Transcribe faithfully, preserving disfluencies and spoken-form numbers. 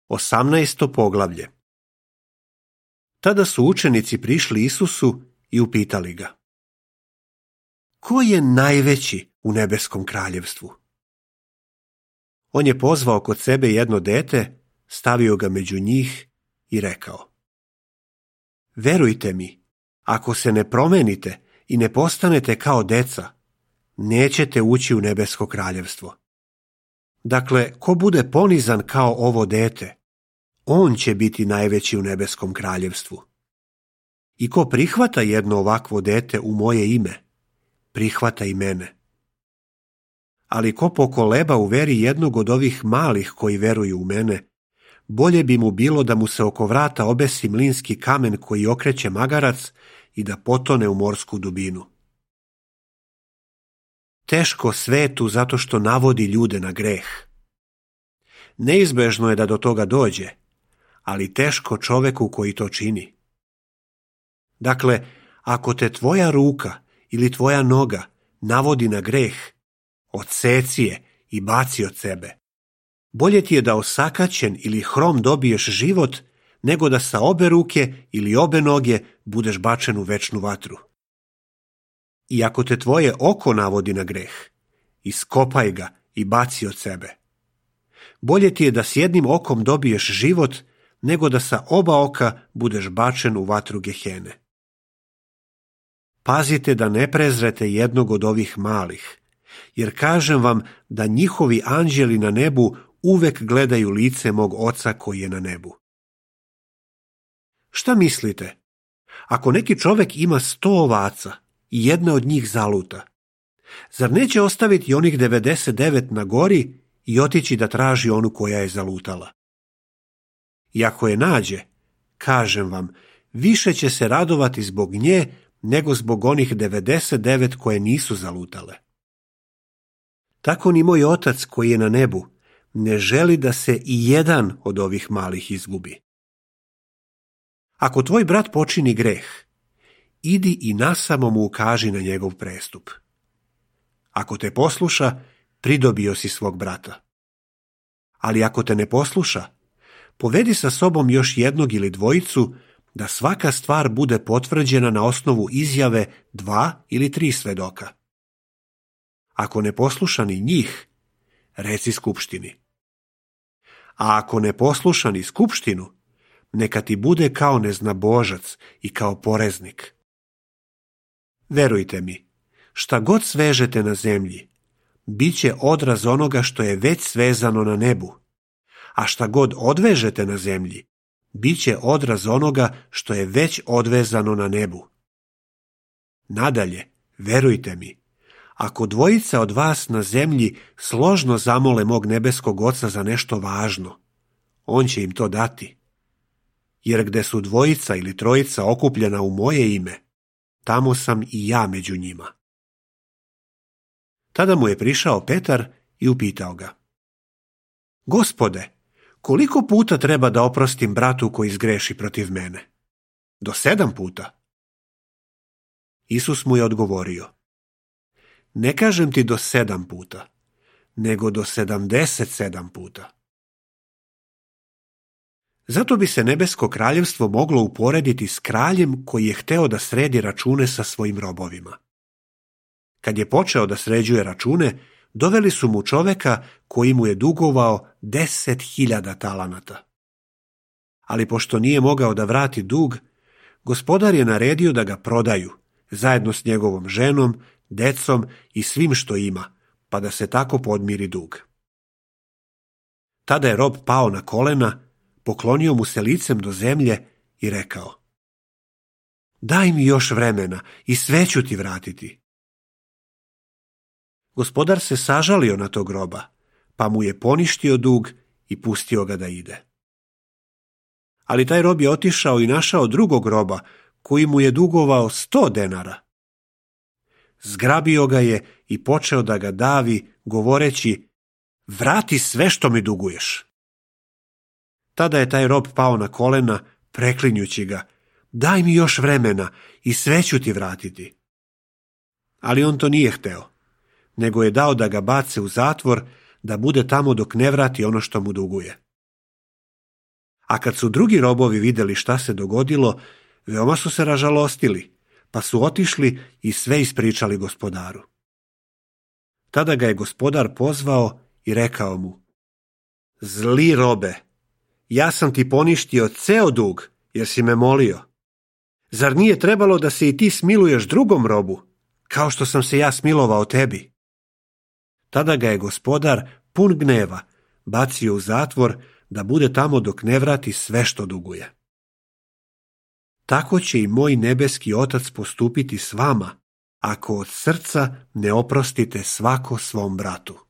Osamnaesto poglavlje. Tada su učenici prišli Isusu i upitali ga: Ko je najveći u nebeskom kraljevstvu? On je pozvao kod sebe jedno dete, stavio ga među njih i rekao: Verujte mi, ako se ne promenite i ne postanete kao deca, nećete ući u nebesko kraljevstvo. Dakle, ko bude ponizan kao ovo dete, on će biti najveći u nebeskom kraljevstvu. I ko prihvata jedno ovakvo dete u moje ime, prihvata i mene. Ali ko pokoleba u veri jednog od ovih malih koji veruju u mene, bolje bi mu bilo da mu se oko vrata obesi mlinski kamen koji okreće magarac i da potone u morsku dubinu. Teško svetu zato što navodi ljude na greh. Neizbežno je da do toga dođe, ali teško čoveku koji to čini. Dakle, ako te tvoja ruka ili tvoja noga navodi na greh, odseci je i baci od sebe. Bolje ti je da osakaćen ili hrom dobiješ život, nego da sa obe ruke ili obe noge budeš bačen u večnu vatru. I ako te tvoje oko navodi na greh, iskopaj ga i baci od sebe. Bolje ti je da s jednim okom dobiješ život, nego da sa oba oka budeš bačen u vatru Gehene. Pazite da ne prezrete jednog od ovih malih, jer kažem vam da njihovi anđeli na nebu uvek gledaju lice mog Oca koji je na nebu. Šta mislite? Ako neki čovek ima sto ovaca i jedna od njih zaluta, zar neće ostaviti onih devedeset devet na gori i otići da traži onu koja je zalutala? I ako je nađe, kažem vam, više će se radovati zbog nje nego zbog onih devedeset devet koje nisu zalutale. Tako ni moj Otac koji je na nebu ne želi da se i jedan od ovih malih izgubi. Ako tvoj brat počini greh, idi i nasamo mu ukaži na njegov prestup. Ako te posluša, pridobio si svog brata. Ali ako te ne posluša, povedi sa sobom još jednog ili dvojicu, da svaka stvar bude potvrđena na osnovu izjave dva ili tri svedoka. Ako ne posluša ni njih, reci skupštini. A ako ne posluša ni skupštinu, neka ti bude kao neznabožac i kao poreznik. Verujte mi, šta god svežete na zemlji, bit će odraz onoga što je već svezano na nebu, a šta god odvežete na zemlji, bit će odraz onoga što je već odvezano na nebu. Nadalje, verujte mi, ako dvojica od vas na zemlji složno zamole mog nebeskog Oca za nešto važno, on će im to dati. Jer gde su dvojica ili trojica okupljena u moje ime, tamo sam i ja među njima. Tada mu je prišao Petar i upitao ga: Gospode, koliko puta treba da oprostim bratu koji zgreši protiv mene? Do sedam puta? Isus mu je odgovorio: Ne kažem ti do sedam puta, nego do sedamdeset sedam puta. Zato bi se nebesko kraljevstvo moglo uporediti s kraljem koji je hteo da sredi račune sa svojim robovima. Kad je počeo da sređuje račune, doveli su mu čoveka koji mu je dugovao deset hiljada talanata. Ali pošto nije mogao da vrati dug, gospodar je naredio da ga prodaju, zajedno s njegovom ženom, decom i svim što ima, pa da se tako podmiri dug. Tada je rob pao na kolena, poklonio mu se licem do zemlje i rekao: Daj mi još vremena i sve ću ti vratiti. Gospodar se sažalio na tog roba, pa mu je poništio dug i pustio ga da ide. Ali taj rob je otišao i našao drugog roba, koji mu je dugovao sto denara. Zgrabio ga je i počeo da ga davi, govoreći: Vrati sve što mi duguješ. Tada je taj rob pao na kolena, preklinjući ga: Daj mi još vremena i sve ću ti vratiti. Ali on to nije hteo, nego je dao da ga bace u zatvor, da bude tamo dok ne vrati ono što mu duguje. A kad su drugi robovi vidjeli šta se dogodilo, veoma su se ražalostili, pa su otišli i sve ispričali gospodaru. Tada ga je gospodar pozvao i rekao mu: Zli robe, ja sam ti poništio ceo dug, jer si me molio. Zar nije trebalo da se i ti smiluješ drugom robu, kao što sam se ja smilovao tebi? Tada ga je gospodar, pun gneva, bacio u zatvor da bude tamo dok ne vrati sve što duguje. Tako će i moj nebeski Otac postupiti s vama, ako od srca ne oprostite svako svom bratu.